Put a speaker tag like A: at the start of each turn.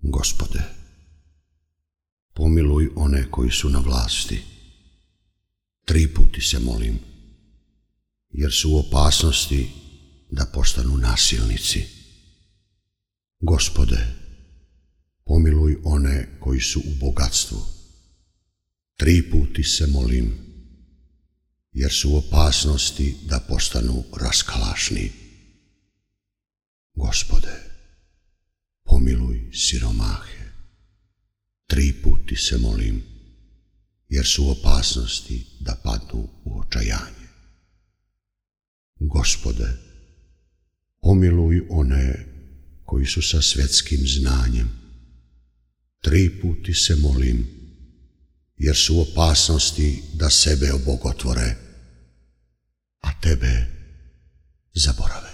A: Gospode, pomiluj one koji su na vlasti. 3 puta se molim, jer su u opasnosti da postanu nasilnici. Gospode, pomiluj one koji su u bogatstvu. 3 puta se molim, jer su u opasnosti da postanu raskalašni. Gospode, pomiluj siromahe. 3 puta se molim, jer su u opasnosti da padnu u očajanje. Gospode, pomiluj one koji su sa svjetskim znanjem. 3 puta se molim, jer su u opasnosti da sebe obogotvore, a tebe zaborave.